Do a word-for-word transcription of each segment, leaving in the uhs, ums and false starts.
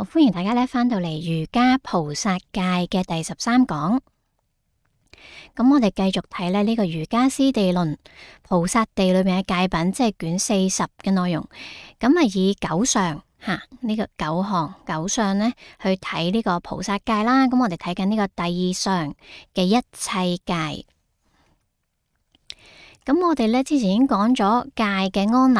好，歡迎大家咧翻到嚟瑜伽菩薩戒嘅第十三講。咁我哋繼續睇咧呢個瑜伽師地論菩薩地裏面嘅戒品，即係卷四十嘅內容。咁啊以九相吓呢個九項九相呢去睇呢個菩薩戒啦。咁我哋睇緊呢個第二相嘅一切戒。咁我哋咧之前已經講咗戒嘅安立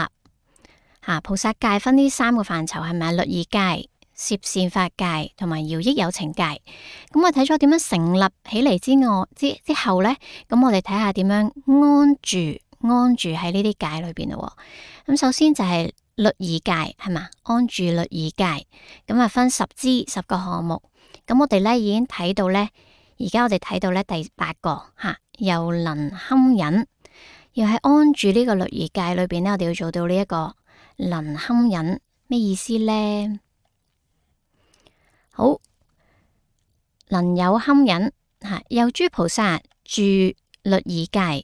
吓，菩薩戒分呢三個範疇係咪？律儀戒、攝善法戒同埋饒益有情戒。咁我睇咗點樣成立起嚟之外之之後呢，咁我哋睇下點樣安住安住喺呢啲戒裏邊咯。咁首先就係律儀戒係嘛，安住律儀戒。咁啊分十支十個項目。咁我哋咧已經睇到呢，而家我哋睇到呢第八個吓，又能堪忍。要喺安住呢個律儀戒裏邊呢，我哋要做到呢一個能堪忍，咩意思呢？好，能有堪忍吓，有諸菩薩住律儀戒，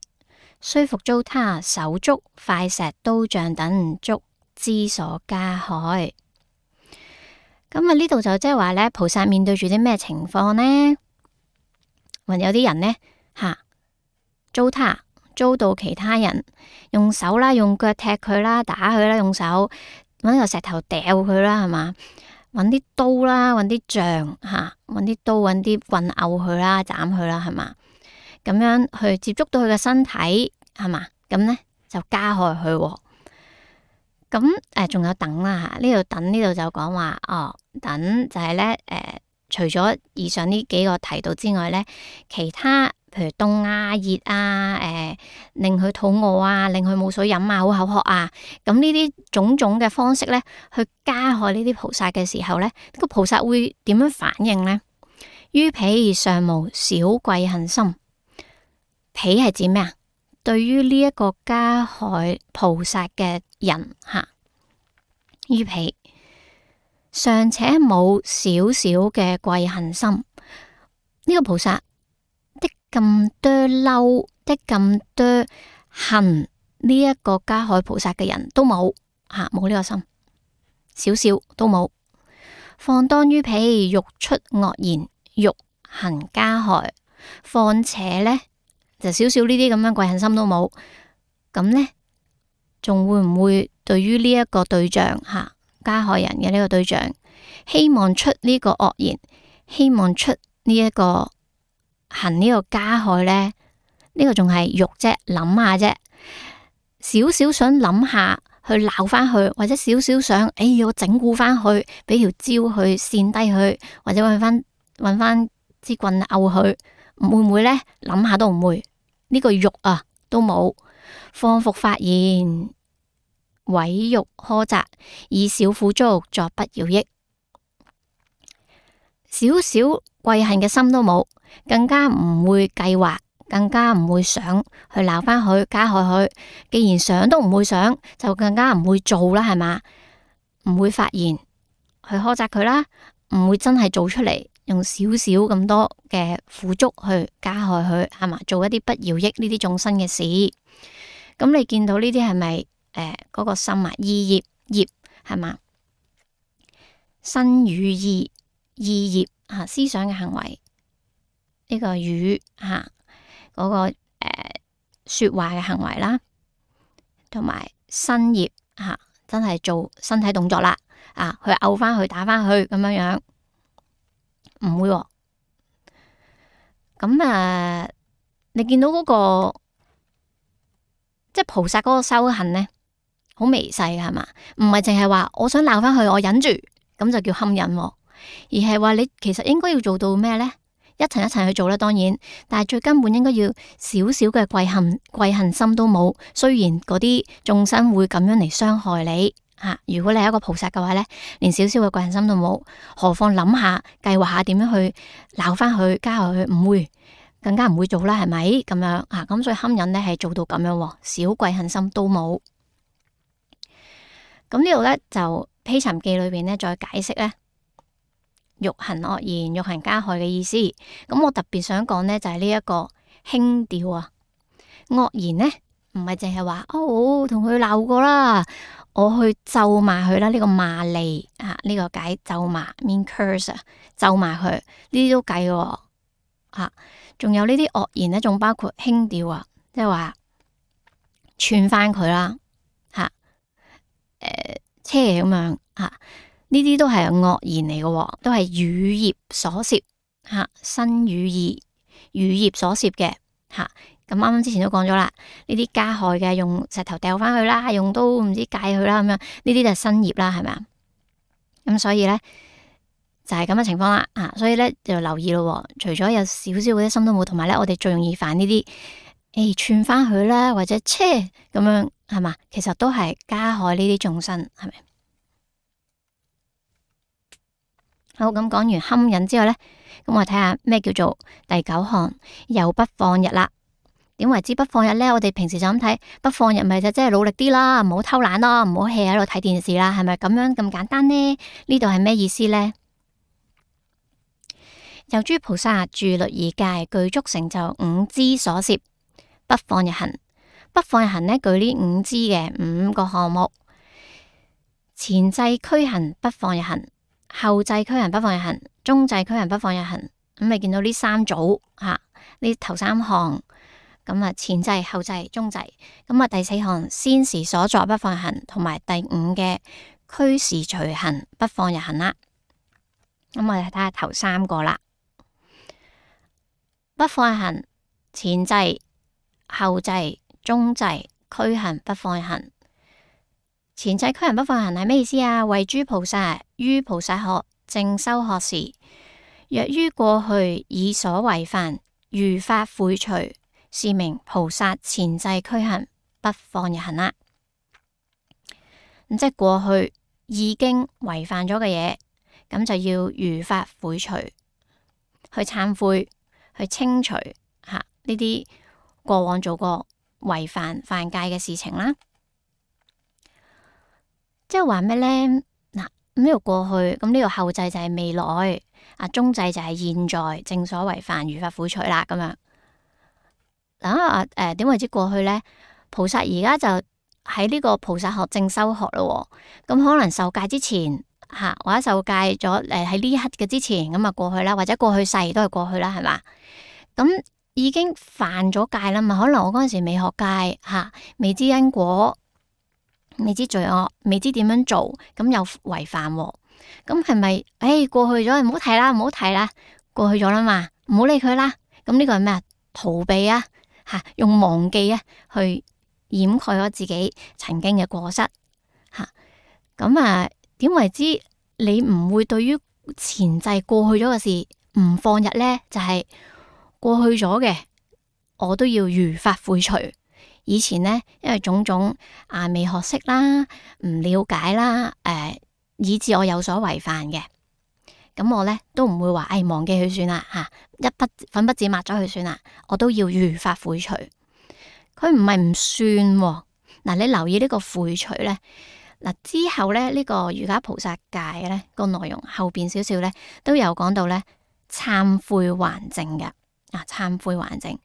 雖復遭他手足、快石、刀杖等觸之所加害。咁啊呢度就即係話咧，菩薩面對住啲咩情況呢？還有啲人呢，吓，遭他。遭到其他人用手啦，用腳踢佢啦，打佢啦，用手揾個石頭掉佢啦，係嘛？揾啲刀啦，揾啲杖吓，揾啲刀，揾啲棍毆佢啦，斬佢啦，係嘛？咁樣去接觸到佢嘅身體，係嘛？咁呢就加害佢。咁誒，仲有等啦吓，呢度等呢度就講話哦，等就係咧誒，除咗以上呢幾個提到之外咧，其他。譬如凍啊、熱啊、誒、呃，令佢肚餓啊，令佢冇水飲啊，好口渴啊，咁呢啲種種嘅方式咧，去加害呢啲菩薩嘅時候咧，呢個菩薩會點樣反應呢？於彼尚無少貴恨心，彼係指咩啊？對於呢一個加害菩薩嘅人吓，於彼尚且冇少少嘅貴恨心，呢、這個菩薩。咁多嬲，的咁多恨呢一個加害菩薩嘅人都冇吓，冇呢個心，少少都冇。況當於彼欲出惡言，欲行加害，況且呢，就少少呢啲咁樣貴恨心都冇，咁呢，仲會唔會對於呢一個對象吓加害人嘅呢個對象，希望出呢個惡言，希望出呢一個？行呢個加害呢，呢、呢個仲係欲啫，諗下啫，少少想諗下去鬧翻去，或者少少想，哎呀，我整蠱翻去，俾條蕉去扇低佢，或者搵翻搵翻支棍毆佢，會唔會呢？諗下都唔會，呢、呢個欲啊都冇。況復發言，毀辱苛責，以小苦足作不饒益，少少貴恨嘅心都冇。更加唔會計劃，更加唔會想去鬧翻佢，加害佢。既然想都唔會想，就更加唔會做啦，係嘛？唔會發言去苛責佢啦，唔會真係做出嚟，用少少咁多嘅苦足去加害佢，係嘛？做一啲不饒益呢啲眾生嘅事。咁你見到呢啲係咪誒嗰個心啊？意業業係嘛？身語意意業啊，思想嘅行為。呢個語吓嗰個誒、呃、說話嘅行為啦，同埋身業吓，真係做身體動作啦，啊去毆翻去打翻去咁樣樣，唔會、哦。咁啊、呃，你見到嗰、那個即係菩薩嗰個修行呢，好微細嘅係嘛？唔係淨係話我想鬧翻去，我忍住咁就叫堪忍、哦，而係話你其實應該要做到咩呢？一層一層去做啦，當然，但係最根本應該要少少嘅貴恨貴恨心都冇。雖然嗰啲眾生會咁樣嚟傷害你吓、啊，如果你係一個菩薩嘅話呢，連少少嘅貴恨心都冇，何況諗下計劃下點樣去鬧翻佢加害佢，唔會，更加唔會做啦，係咪咁樣啊？咁所以堪忍呢係做到咁樣，少貴恨心都冇。咁呢度呢，就披尋記裏邊呢，再解釋呢。欲行惡言、欲行加害嘅意思，咁我特別想講呢，就係呢一個輕調啊。惡言呢，唔係淨係話哦，同佢鬧過啦，我去咒罵佢啦，呢、這個罵詈啊，呢、這個解咒罵 mean curse 啊，咒罵佢呢啲都計嘅吓。仲有呢啲惡言咧，仲包括輕調啊，即係話串翻佢啦吓，誒車咁樣吓，呢啲都係惡言嚟嘅，都係語業所涉吓，身語意語業所涉嘅吓。咁啱啱之前都講咗啦，呢啲加害嘅，用石頭掉翻去啦，用刀唔知戒佢啦，咁樣呢啲就係身業啦，係咪啊？咁所以咧就係咁嘅情況啦，啊，所以咧就留意咯。除咗有少少嗰啲心都冇，同埋咧我哋最容易犯呢啲，誒串翻佢啦，或者車咁樣係嘛，其實都係加害呢啲眾生，係咪？好，咁講完堪忍之後咧，咁我睇下咩叫做第九項又不放逸啦。點為之不放逸呢？我哋平時就咁睇，不放逸咪就即係努力啲啦，唔好偷懶咯，唔好 hea 喺度睇電視啦，係咪咁樣咁簡單呢？呢度係咩意思呢？有諸菩薩住律儀戒，具足成就五支所攝不放逸行。不放逸行呢，具呢五支嘅五個項目：前際驅行不放逸行，後際驅行不放逸行，中際驅行不放逸行。咁你見到呢三組吓，呢頭三項。咁啊，前際、後際、中際，咁啊，第四項先時所作不放逸行，同埋第五嘅驅時隨行不放逸行啦。咁我哋睇下頭三個啦，不放逸行前際、後際、中際驅行不放逸行。前際驅行不放逸行係咩意思啊？為諸菩薩於菩薩學正修學時，若於過去以所違犯，如法悔除，是名菩薩前際驅行不放逸行啦。咁即係過去已經違犯咗嘅嘢，咁就要如法悔除，去懺悔，去清除吓呢啲過往做過違犯犯戒嘅事情啦。即係話咩呢？嗱，呢個過去，咁呢個後際就係未來，啊中際就係現在，正所違犯，如法悔除啦，咁樣。嗱啊，誒、呃，點為之過去呢？菩薩而家就喺呢個菩薩學正修學咯，咁可能受戒之前吓，或者受戒咗誒喺呢一刻嘅之前，咁啊過去啦，或者過去世都係過去啦，係嘛？咁已經犯咗戒啦嘛，可能我嗰陣時未學戒吓，未知因果，未知罪惡，未知點樣做，咁又違犯，咁係咪？誒，過去咗，唔好提啦，唔好提啦，過去咗啦嘛，唔好理佢啦。咁呢個係咩啊？逃避啊！吓，用忘記啊去掩蓋咗自己曾經嘅過失吓，咁啊點為之你唔會對於前際過去咗嘅事唔放逸呢？就係、是、過去咗嘅，我都要如法悔除。以前呢，因為種種啊未學識啦，唔了解啦，誒、呃，以致我有所違犯嘅。咁我咧都唔會話，誒、哎、忘記佢算啦吓，一筆粉筆字抹咗佢算啦，我都要如法悔除。佢唔係唔算嗱、啊，你留意呢個悔除咧，嗱、啊、之後咧呢、這個瑜伽菩薩戒咧個內容後邊少少咧都有講到咧懺悔還淨嘅啊，懺悔還淨。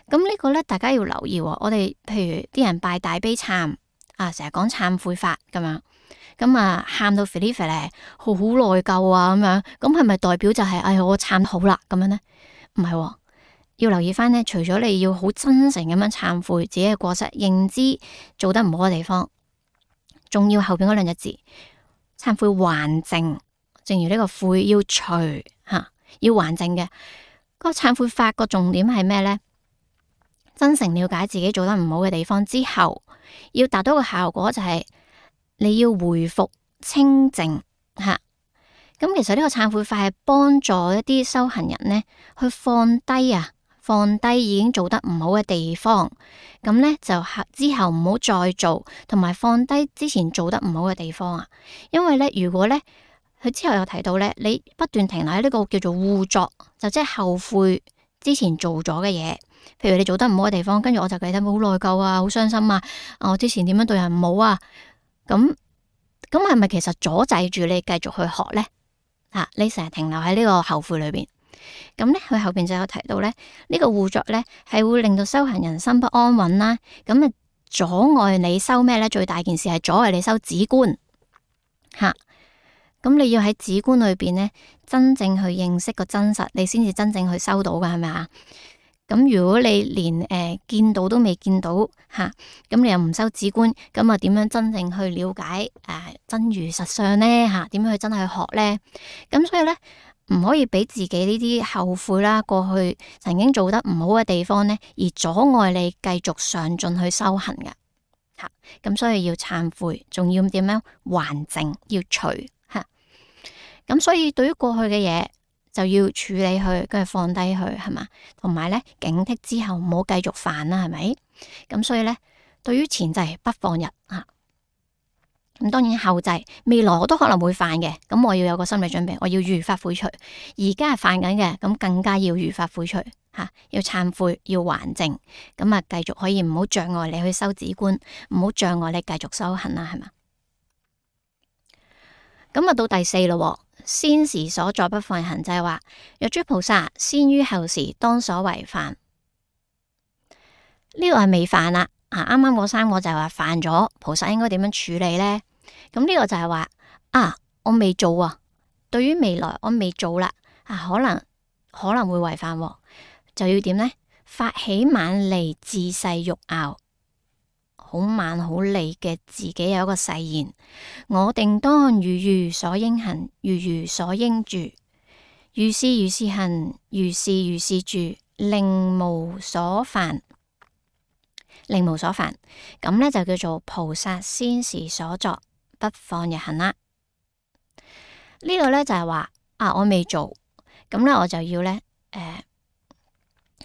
咁呢個咧大家要留意，我哋譬如啲人拜大悲懺啊，成日講懺悔法咁樣。咁啊，喊到肥哩肥咧，好好內疚啊，咁樣，咁係咪代表就係、是，哎呀，我懺好啦，咁樣呢？唔係、哦，要留意翻呢。除咗你要好真誠咁樣懺悔自己嘅過失，認知做得唔好嘅地方，仲要後邊嗰兩隻字，懺悔還淨。正如呢個悔要除吓、啊，要還淨嘅。嗰個懺悔法個重點係咩呢？真誠了解自己做得唔好嘅地方之後，要達到個效果就係、是。你要回復清淨吓，咁其實呢個懺悔法係幫助一啲修行人呢去放低啊，放低已經做得唔好嘅地方，咁呢就之後唔好再做，同埋放低之前做得唔好嘅地方啊。因為呢，如果呢，佢之後有提到呢，你不斷停留喺呢個叫做護作，就即係後悔之前做咗嘅嘢。譬如你做得唔好嘅地方，跟住我就記得好內疚啊，好傷心啊，我之前點樣對人唔好啊。咁咁係咪其實阻滯住你繼續去學呢？吓、啊，你成日停留喺呢個後悔裏邊，咁咧佢後邊就有提到咧，呢、這個護作咧係會令到修行人心不安穩啦。咁啊，阻礙你修咩咧？最大件事係阻礙你修止觀吓。咁你要喺止觀裏邊咧，真正去認識個真實，你先至真正去修到噶，係咪啊？咁如果你連誒、呃、見到都未見到吓，咁、啊、你又唔修止觀，咁啊點樣真正去了解誒、呃、真如實相咧？吓、啊，點樣去真係去學咧？咁所以咧，唔可以俾自己呢啲後悔啦，過去曾經做得唔好嘅地方咧，而阻礙你繼續上進去修行嘅吓。咁、啊、所以要懺悔，仲要點樣還淨，要除吓。咁、啊、所以對於過去嘅嘢，就要處理佢，跟住放低佢，係嘛？同埋咧，警惕之後唔好繼續犯啦，係咪？咁所以咧，對於前際不放逸吓。咁、啊、當然後際未來我都可能會犯嘅，咁我要有個心理準備，我要如法悔除。而家係犯緊嘅，咁更加要如法悔除吓、啊，要懺悔，要還淨，咁啊繼續可以唔好障礙你去修止觀，唔好障礙你繼續修行啦，係嘛？咁啊到第四咯。先時所作不放逸行，就係話若諸菩薩先於後時當所為犯，呢個係未犯啦。啊，啱啱嗰三個就係話犯咗，菩薩應該點樣處理呢？咁呢個就係話啊，我未做啊，對於未來我未做啦，啊可能可能會違犯，就要點呢？發起猛利自誓欲樂。好猛好利嘅自己有一個誓言，我定當如如所應行，如如所應住，如是如是行，如是如是住，令無所犯，令無所犯。咁呢就叫做菩薩先時所作不放逸行啦。呢個呢就係話啊，我未做，咁呢我就要呢，誒，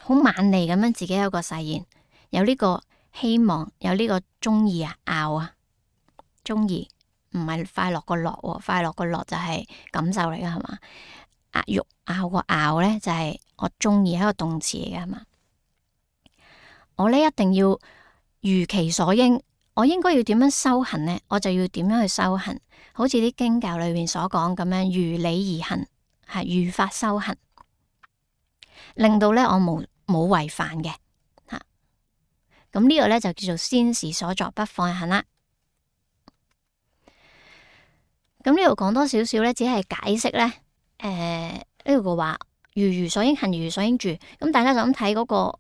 好猛利咁樣自己有個誓言，有呢個。希望有呢個中意啊，樂啊，中意唔係快樂個樂，快樂個樂就係感受嚟噶，係嘛？啊，欲樂個樂咧就係我中意，係一個動詞嚟噶，係嘛？我咧一定要如其所應，我應該要點樣修行呢？我就要點樣去修行，好似啲經教裏面所講咁樣，如理而行，係如法修行，令到咧我冇冇違犯嘅。咁呢個咧就叫做先時所作不放逸行啦。咁呢度講多少少咧，只係解釋咧，誒、呃、呢度嘅話，如如所應行，如如所應住。咁大家就咁睇嗰個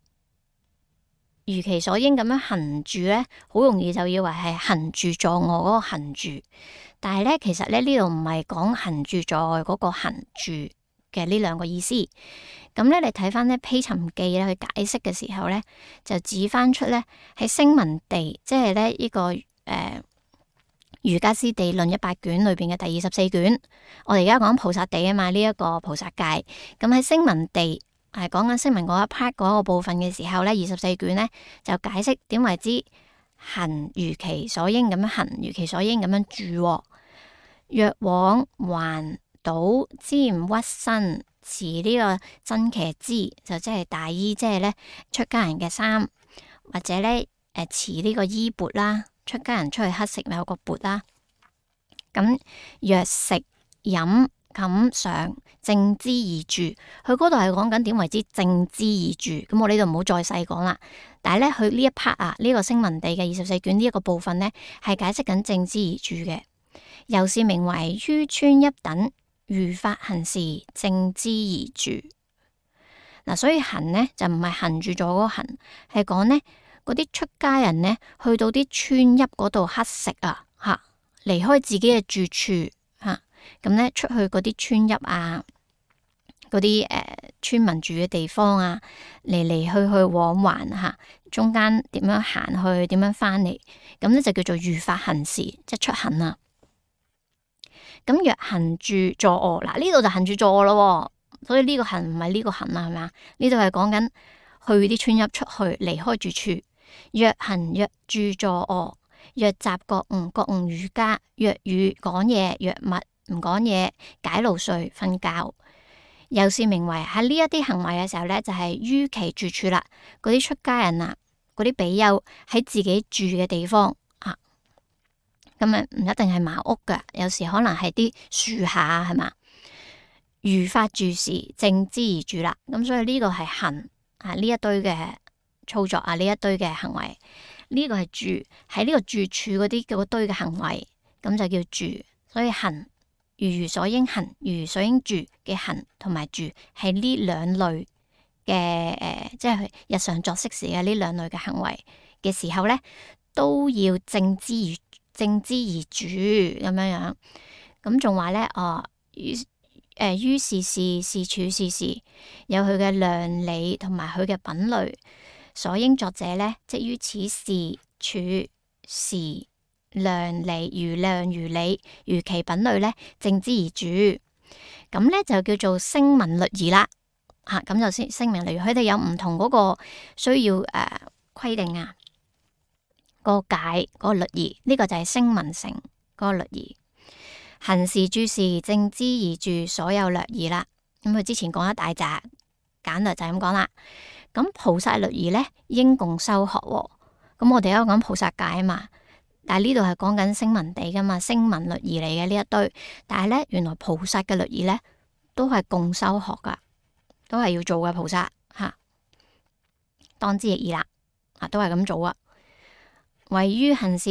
如其所應咁樣行住咧，好容易就以為係行住坐臥嗰個行住，但係咧其實咧呢度唔係講行住坐臥嗰個行住嘅呢兩個意思。咁咧，你睇翻咧《披尋記》咧，去解釋嘅時候咧，就指翻出咧喺聲聞地，即係咧呢個誒《瑜伽師地論》一百卷裏邊嘅第二十四卷。我哋而家講菩薩地啊嘛，呢、這、一個菩薩界。咁喺聲聞地係講緊聲聞嗰一 part 嗰個部分嘅時候咧，二十四卷咧就解釋點為之行如其所應咁樣行，如其所應咁樣住。若往還倒瞻屈身。持呢個真騎姿就即係大衣，即係咧出家人嘅衫，或者咧誒持呢個衣缽啦，出家人出去乞食咪有個缽啦。咁若食飲寢常正姿而住，佢嗰度係講緊點為之正姿而住。咁我呢度唔好再細講啦。但係咧佢呢一 part 啊，呢、這個聲聞地嘅二十四卷呢一個部分咧，係解釋緊正姿而住嘅，又是名為於村一等。如法行事，正姿而住。嗱、啊，所以行呢，就唔係行住咗嗰個行，係講呢嗰啲出家人呢，去到啲村邑嗰度乞食啊，吓、啊、離開自己嘅住處吓，咁、啊、呢出去嗰啲村邑啊，嗰啲誒村民住嘅地方啊，嚟嚟去去往還吓、啊，中間點樣行去，點樣翻嚟，咁呢就叫做如法行事，即係出行啊。咁若行住坐臥，嗱呢度就行住坐臥咯，所以呢個行唔係呢個行啦，係咪啊？呢度係講緊去啲村邑出去離開住處。若行若住坐臥，若習覺悟覺悟瑜伽，若語講嘢，若默唔講嘢，解勞睡瞓覺，又是名為喺呢一啲行為嘅時候咧，就係、是、於其住處啦。嗰啲出家人啊，嗰啲比丘喺自己住嘅地方。咁啊，唔一定係茅屋噶，有時可能係啲樹下，係嘛？如法住時，正姿而住啦。咁所以呢個係行啊，呢一堆嘅操作啊，呢一堆嘅行為呢個係住喺呢個住處嗰啲嗰堆嘅行為，咁就叫住。所以行如如所應行，如如所應住嘅行同埋住係呢兩類嘅誒、呃，即係日常作息時嘅呢兩類嘅行為嘅時候咧，都要正之而正之而住咁樣樣。咁仲話咧，哦，於誒於事事事處事事有佢嘅量理同埋佢嘅品類，所應作者咧，即於此事處事量理如量如理如其品類咧，正之而住。咁咧就叫做聲聞律儀啦。吓、啊、咁就先聲明，例如佢哋有唔同嗰個需要誒規、呃、定啊，個解嗰個律儀，呢、這個就係聲聞乘嗰個律儀。行事住事正之而住，所有略儀啦。咁佢之前講一大紮，簡略就係咁講啦。咁菩薩律儀咧，應共修學。咁我哋而家講菩薩戒啊嘛，但係呢度係講緊聲聞地噶嘛，聲聞律儀嚟嘅呢一堆。但係咧，原來菩薩嘅律儀咧，都係共修學噶，都係要做嘅菩薩吓。當知亦爾啦，啊都係咁做啊。唯於行事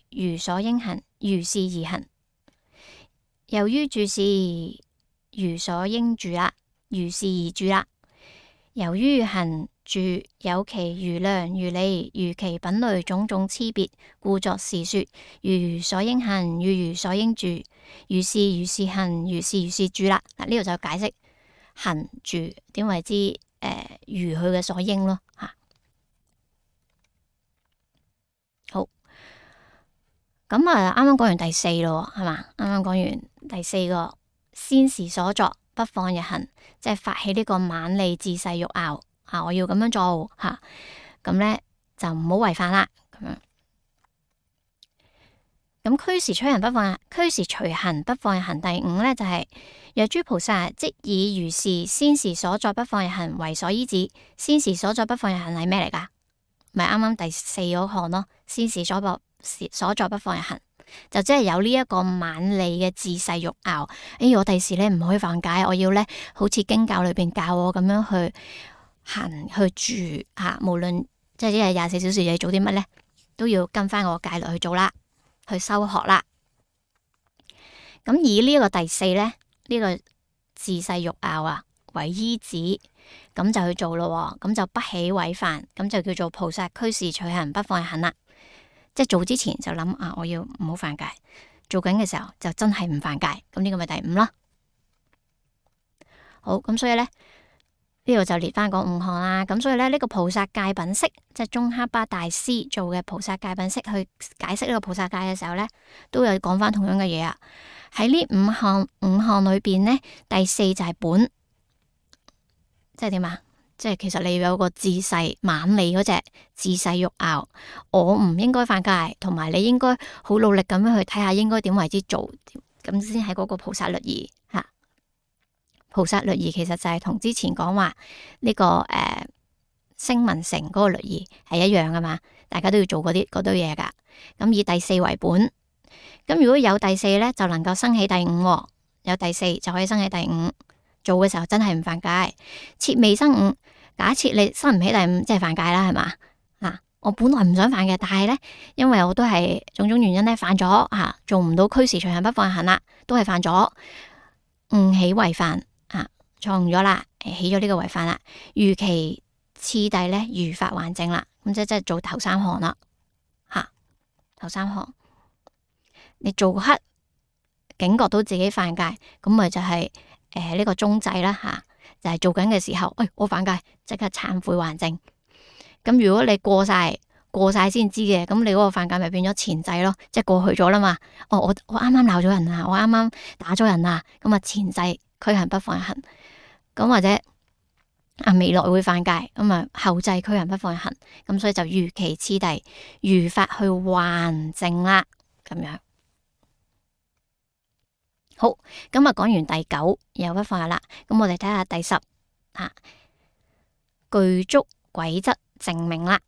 如所應行，如是而行。由於住事如所應住啦，如是而住啦。由於行住有其如量如理如其品類種種差別，故作是說：如如所應行，如如所應住，如是如是行，如是如是住啦。嗱，呢度就解釋行住點為之誒、呃、如佢嘅所應咯吓。好。咁啊，啱啱講完第四咯，係嘛？啱啱講完第四個，先時所作，不放逸行，即係發起呢個猛利自勢欲拗啊！我要咁樣做吓，咁、啊、咧就唔好違反啦。咁樣，咁驅時隨行不放逸，驅時隨行不放逸行。第五咧就係、是、若諸菩薩即以如是先時所作不放逸行為所依止。先時所作不放逸行係咩嚟噶？咪啱啱第四嗰項咯，先時所作。所作不放逸行，就即係有呢一個猛利嘅自勢欲拗。哎，我第時咧唔可以犯戒，我要咧好似經教裏邊教我咁樣去行去住吓、啊，無論即係一日廿四小時你做啲乜咧，都要跟翻我戒律去做啦，去修學啦。咁以呢一個第四咧，呢、這個自勢欲拗啊為依止，咁就去做咯。咁就不起違犯，咁就叫做菩薩驅時隨行不放逸行啦。即係做之前就諗啊，我要唔好犯戒；做緊嘅時候就真係唔犯戒。咁呢個咪第五咯。好，咁所以咧呢度就列翻嗰五項啦。咁所以咧呢、這個菩薩戒品釋，即係宗喀巴大師做嘅菩薩戒品釋去解釋呢個菩薩戒嘅時候咧，都有講翻同樣嘅嘢啊。喺呢五項五項裏邊咧，第四就係本，即係點啊？即係其實你要有個自勢猛利嗰隻自勢欲拗，我唔應該犯戒，同埋你應該好努力咁樣去睇下應該點為之做，咁先係嗰個菩薩律儀吓。菩薩律儀其實就係同之前講話呢個誒聲聞乘嗰個律儀係一樣噶嘛，大家都要做嗰啲嗰堆嘢噶。咁以第四為本，咁如果有第四咧，就能夠生起第五，有第四就可以生起第五。做嘅時候真係唔犯戒，切未生五。假設你生唔起第五，即係犯戒啦，係嘛？嗱，我本來唔想犯嘅，但係咧，因為我都係種種原因咧犯咗吓，做唔到驅時隨行不放逸行啦，都係犯咗誤起違犯啊，錯誤咗啦，起咗呢個違犯啦。如其次第咧，如法還淨啦，咁即係即係做頭三項啦，吓、啊、頭三項，你做嗰刻警覺到自己犯戒，咁咪就係、是。誒，呢、呃這個中制啦吓，就係、是、做緊嘅時候，誒、哎，我犯戒，即刻懺悔還淨。咁如果你過晒過晒先知嘅，咁你嗰個犯戒咪變咗前制咯，即係過去咗啦嘛。哦，我我啱啱鬧咗人啊，我啱啱打咗人啊，咁啊前制驅行不放逸行。咁或者啊未來會犯戒，咁啊後制驅行不放逸行。咁所以就如其次第，如法去還淨啦，咁樣。好，咁啊講完第九又不放逸啦，咁我哋睇下第十啊，具足軌則淨命啦，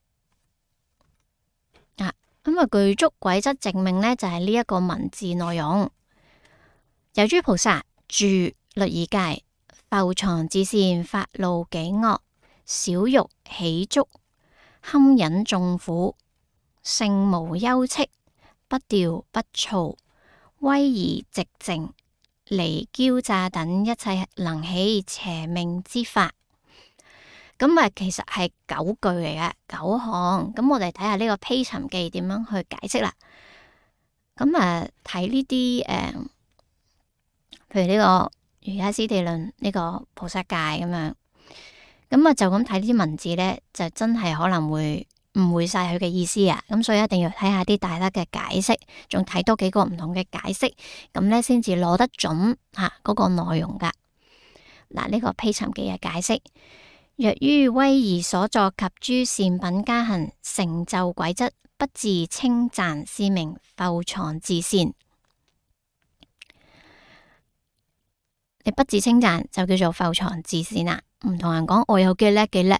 啊，咁啊具足軌則淨命咧就係呢一個文字內容。由諸菩薩住律儀戒，復藏自善，發露己惡，少欲喜足，堪忍眾苦，性無憂戚，不調不躁，威儀寂靜，離驕詐等一切能起邪命之法。咁啊，其實係九句嚟嘅，九項。咁我哋睇下呢個披尋記點樣去解釋啦。咁啊，睇呢啲誒，譬如呢個瑜伽師地論呢個菩薩戒咁樣。咁啊，就咁睇呢啲文字咧，就真係可能會誤會晒佢嘅意思啊。咁所以一定要睇下啲大德嘅解釋，仲睇多幾個唔同嘅解釋，咁咧先至攞得準吓嗰個內容噶。嗱，呢個披尋記嘅解釋。若於威儀所作及諸善品加行成就軌則，不自稱讚，是名復藏自善。你不自稱讚就叫做復藏自善啦。唔同人講我有幾叻幾叻，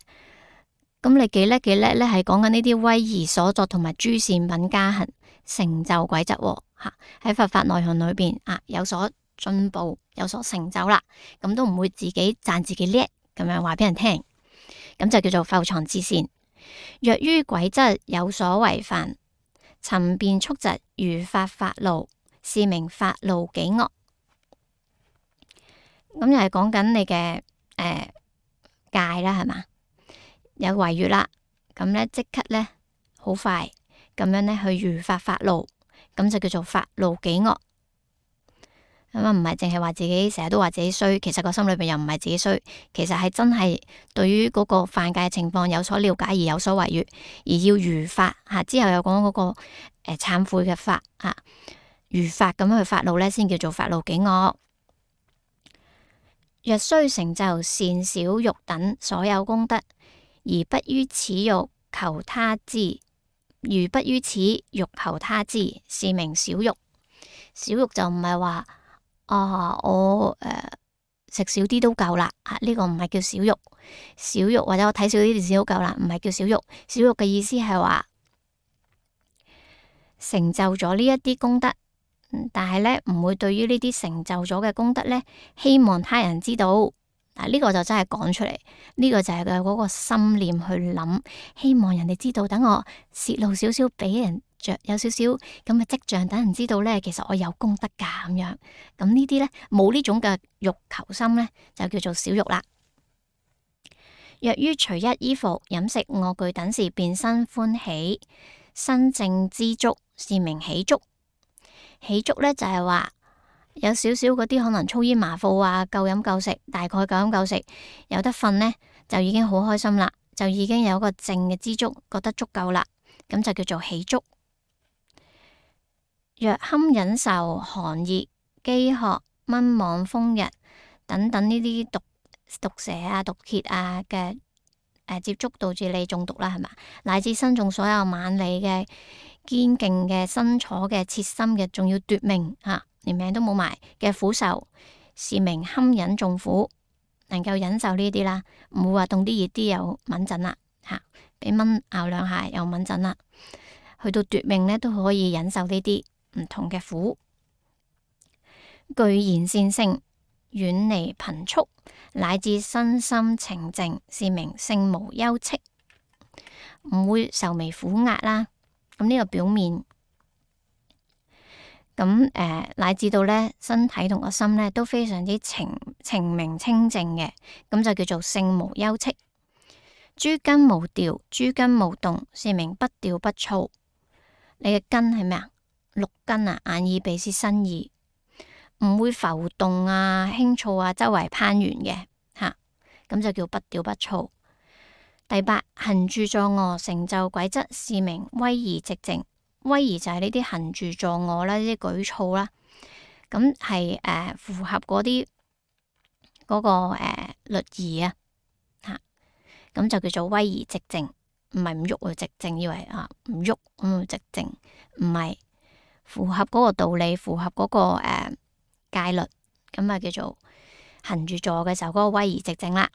咁你幾叻幾叻咧？係講緊呢啲威儀所作同埋諸善品加行成就軌則吓，喺佛法內容裏邊啊有所進步，有所成就啦，咁都唔會自己讚自己叻咁樣話俾人聽。咁就叫做復藏自善。若於軌則有所違犯，尋辨速疾，如發發怒，是名發怒己惡。咁又係講緊你嘅誒、呃、戒啦，係嘛？有違越啦，咁咧即刻咧好快咁樣咧去如發發怒，咁就叫做發怒己惡。咁啊，唔係淨係話自己成日都話自己衰，其實個心裏邊又唔係自己衰，其實係真係對於嗰個犯戒嘅情況有所了解而有所違越，而要如發吓。之後又講嗰個誒懺悔嘅法吓，如發咁樣去發怒咧，先叫做發怒己惡。若須成就善小欲等所有功德，而不於此欲求他之，如不於此欲求他之，是名小欲。小欲就唔係話。啊！我誒食、呃、少啲都夠啦，吓、這、呢個唔係叫小欲，小欲或者我睇少啲電視都夠啦，唔係叫小欲。小欲嘅意思係話成就咗呢一啲功德，但係咧唔會對於呢啲成就咗嘅功德咧，希望他人知道。嗱、這、呢個就真係講出嚟，呢、這個就係佢嗰個心念去諗，希望人哋知道，等我泄露少少俾人。着有少少咁嘅跡象，等人知道咧，其實我有功德噶咁樣。咁呢啲咧冇呢種嘅欲求心咧，就叫做小欲啦。若於隨一衣服、飲食、臥具等事，便生歡喜，身正知足，是名喜足。喜足咧就係話有少少嗰啲可能粗煙麻褲啊，夠飲夠食，大概夠飲夠食，有得瞓咧就已經好開心啦，就已經有個正嘅知足，覺得足夠啦，咁就叫做喜足。若堪忍受寒熱、飢渴、蚊虻、風日等等呢啲毒毒蛇啊、毒蠍啊嘅誒、呃、接觸，導致你中毒啦，係嘛？乃至身中所有猛利嘅堅勁嘅身楚嘅切心嘅，仲要奪命吓、啊，連命都冇埋嘅苦受，是名堪忍眾苦。能夠忍受呢啲啦，唔會話凍啲熱啲又敏震啦吓，俾蚊咬兩下又敏震啦，去到奪命咧都可以忍受呢啲唔同嘅苦，具賢善性，遠離貧畜，乃至身心澄淨，是名性無憂戚，唔會愁眉苦壓啦。咁呢個表面，咁誒、呃、乃至到咧身體同個心咧都非常之澄澄明清淨嘅，咁就叫做性無憂戚。諸根無調，諸根無動，是名不調不躁。你嘅根係咩啊？六根啊，眼耳鼻舌身意，唔會浮動啊、輕躁啊、周圍攀緣嘅吓，咁就叫不調不躁。第八，行住坐臥成就軌則，是名威儀寂靜。威儀就係呢啲行住坐臥啦，呢啲舉措啦，咁係誒符合嗰啲嗰個誒、呃、律儀啊吓，咁就叫做威儀寂靜，唔係唔喐啊寂靜，以為啊唔喐咁寂靜，唔係。符合嗰個道理，符合嗰、那個誒、呃、戒律，咁啊叫做行住坐嘅時候嗰個威儀寂靜啦。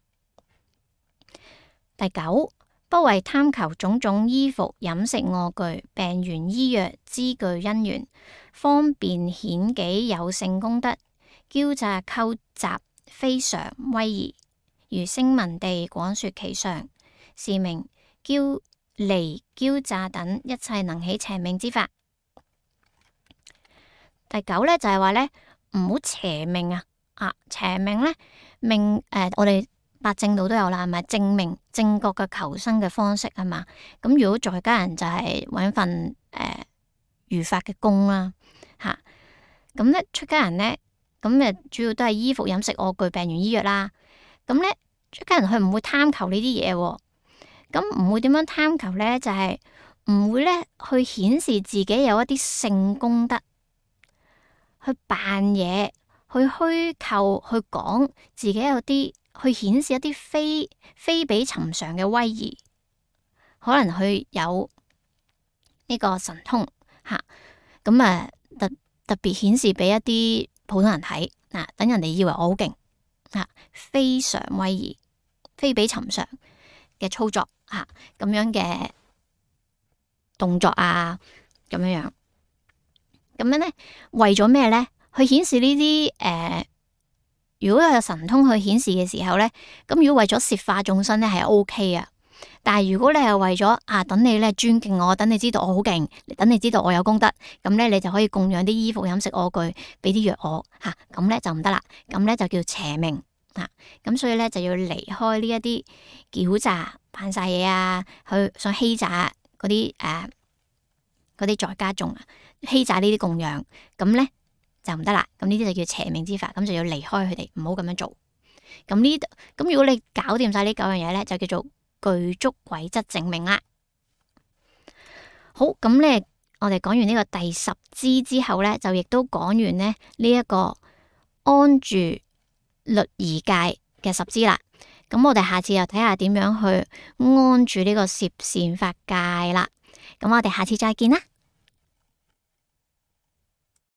第九，不為貪求種種衣服、飲食、臥具、病緣醫藥、資具因緣，方便顯己有勝功德，驕詐溝雜，非常威儀，如聲聞地廣說其上，是名驕離驕詐等一切能起邪命之法。第九咧就係話咧唔好邪命啊！啊邪命咧命誒、呃，我哋八正道都有啦，係咪正命正確嘅求生嘅方式啊嘛？咁如果在家人就係搵份誒如法嘅工啦，吓咁咧出家人咧咁誒主要都係衣服飲食臥具病源醫藥啦。咁咧出家人佢唔會貪求呢啲嘢，咁唔會點樣貪求咧？就係、是、唔會咧去顯示自己有一啲性功德。去扮嘢，去虛構，去講自己有啲，去顯示一啲非非比尋常嘅威儀，可能佢有呢個神通吓，咁啊特特別顯示俾一啲普通人睇，嗱、啊、等人哋以為我好勁吓，非常威儀，非比尋常嘅操作吓，咁、啊、樣嘅動作啊，咁樣樣。咁樣咧，為咗咩咧？去顯示呢啲誒，如果有神通去顯示嘅時候咧，咁如果為咗攝化眾生咧係 O K 啊。但係如果你係為咗啊，等你咧尊敬我，等你知道我好勁，等你知道我有功德，咁咧你就可以供養啲衣服、飲食、臥具，俾啲藥我吓，咁、啊、咧就唔得啦。咁咧就叫邪命啊。咁所以咧就要離開呢一啲狡詐、扮晒嘢啊，去想欺詐嗰啲誒嗰啲在家眾啊。欺詐呢啲供養，咁咧就唔得啦。咁呢啲就叫邪命之法，咁就要離開佢哋，唔好咁樣做。咁呢，咁如果你搞掂晒呢九樣嘢咧，就叫做具足軌質正命啦。好，咁咧我哋講完呢個第十支之後咧，就亦都講完咧呢一個安住律儀戒嘅十支啦。咁我哋下次又睇下點樣去安住呢個攝善法戒啦。咁我哋下次再見啦。